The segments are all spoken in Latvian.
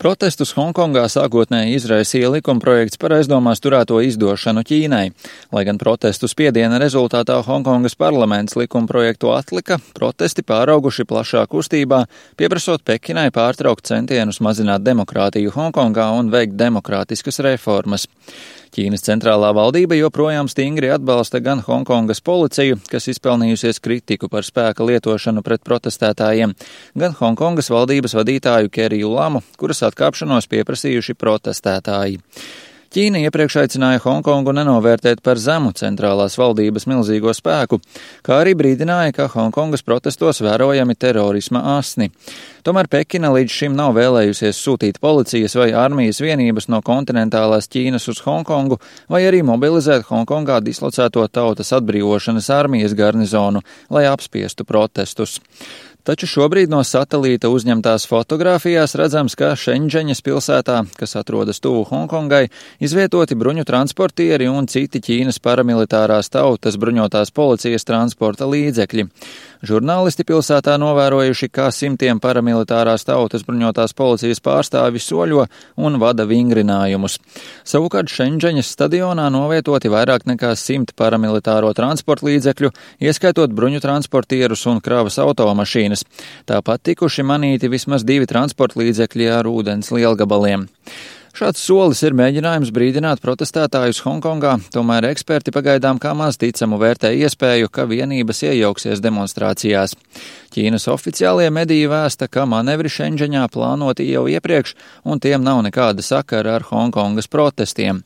Protestus Honkongā sākotnēji izraisīja likumprojekts par aizdomās turēto izdošanu Ķīnai. Lai gan protestu spiediena rezultātā Honkongas parlaments likumprojektu atlika, protesti pārauguši plašā kustībā, pieprasot Pekinai pārtraukt centienus mazināt demokrātiju Honkongā un veikt demokrātiskas reformas. Ķīnas centrālā valdība joprojām stingri atbalsta gan Honkongas policiju, kas izpelnījusies kritiku par spēka lietošanu pret protestētājiem, gan Honkongas valdības vadītāju Keriju Lamu, kuras atkāpšanos pieprasījuši protestētāji. Ķīna iepriekš aicināja Honkongu nenovērtēt par zemu centrālās valdības milzīgo spēku, kā arī brīdināja, ka Honkongas protestos vērojami terorisma asni. Tomēr Pekina līdz šim nav vēlējusies sūtīt policijas vai armijas vienības no kontinentālās Ķīnas uz Honkongu, vai arī mobilizēt Honkongā dislocēto tautas atbrīvošanas armijas garnizonu, lai apspiestu protestus. Taču šobrīd no satelīta uzņemtās fotogrāfijās redzams, ka Šenžeņas pilsētā, kas atrodas tuvu Hongkongai, izvietoti bruņu transportieri un citi Ķīnas paramilitārās tautas bruņotās policijas transporta līdzekļi. Žurnālisti pilsētā novērojuši, kā simtiem paramilitārās tautas bruņotās policijas pārstāvi soļo un vada vingrinājumus. Savukārt Šenžeņas stadionā novietoti vairāk nekā 100 paramilitāro transporta līdzekļu, ieskaitot bruņu transportierus un kravas automašīnas. Tāpat tikuši manīti vismaz 2 transporta līdzekļi ar ūdens lielgabaliem. Šāds solis ir mēģinājums brīdināt protestētājus Honkongā, tomēr eksperti pagaidām kā maz ticamu vērtē iespēju, ka vienības iejauksies demonstrācijās. Ķīnas oficiālie mediji vēsta, ka manevri Šenžeņā plānoti jau iepriekš, un tiem nav nekāda sakara ar Honkongas protestiem.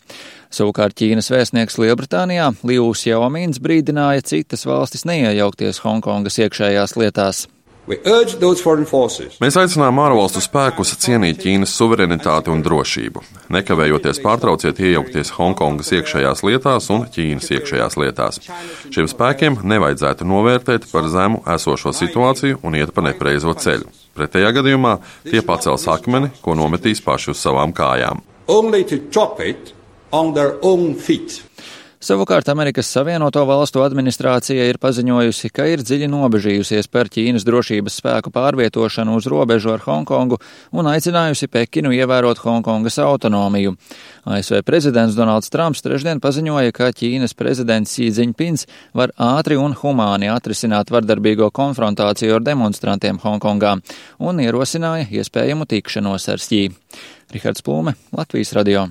Savukārt Ķīnas vēstnieks Lielbritānijā Liu Xiaomins brīdināja citas valstis neiejaukties Honkongas iekšējās lietās. Mēs aicinām ārvalstu spēkus cienīt Ķīnas suverenitāti un drošību. Nekavējoties pārtrauciet iejaukties Honkongas iekšējās lietās un Ķīnas iekšējās lietās. Šiem spēkiem nevajadzētu novērtēt par zemu esošo situāciju un iet pa nepareizo ceļu. Pretējā gadījumā tie pacels akmeni, ko nometīs paši uz savām kājām. Savukārt Amerikas Savienoto Valstu administrācija ir paziņojusi, ka ir dziļi nobežījusies par Ķīnas drošības spēku pārvietošanu uz robežu ar Honkongu un aicinājusi Pekinu ievērot Honkongas autonomiju. ASV prezidents Donalds Trumps trešdien paziņoja, ka Ķīnas prezidents Xi Jinpings var ātri un humāni atrisināt vardarbīgo konfrontāciju ar demonstrantiem Honkongā un ierosināja iespējamu tikšanos ar Xi. Rihards Plūme, Latvijas radio.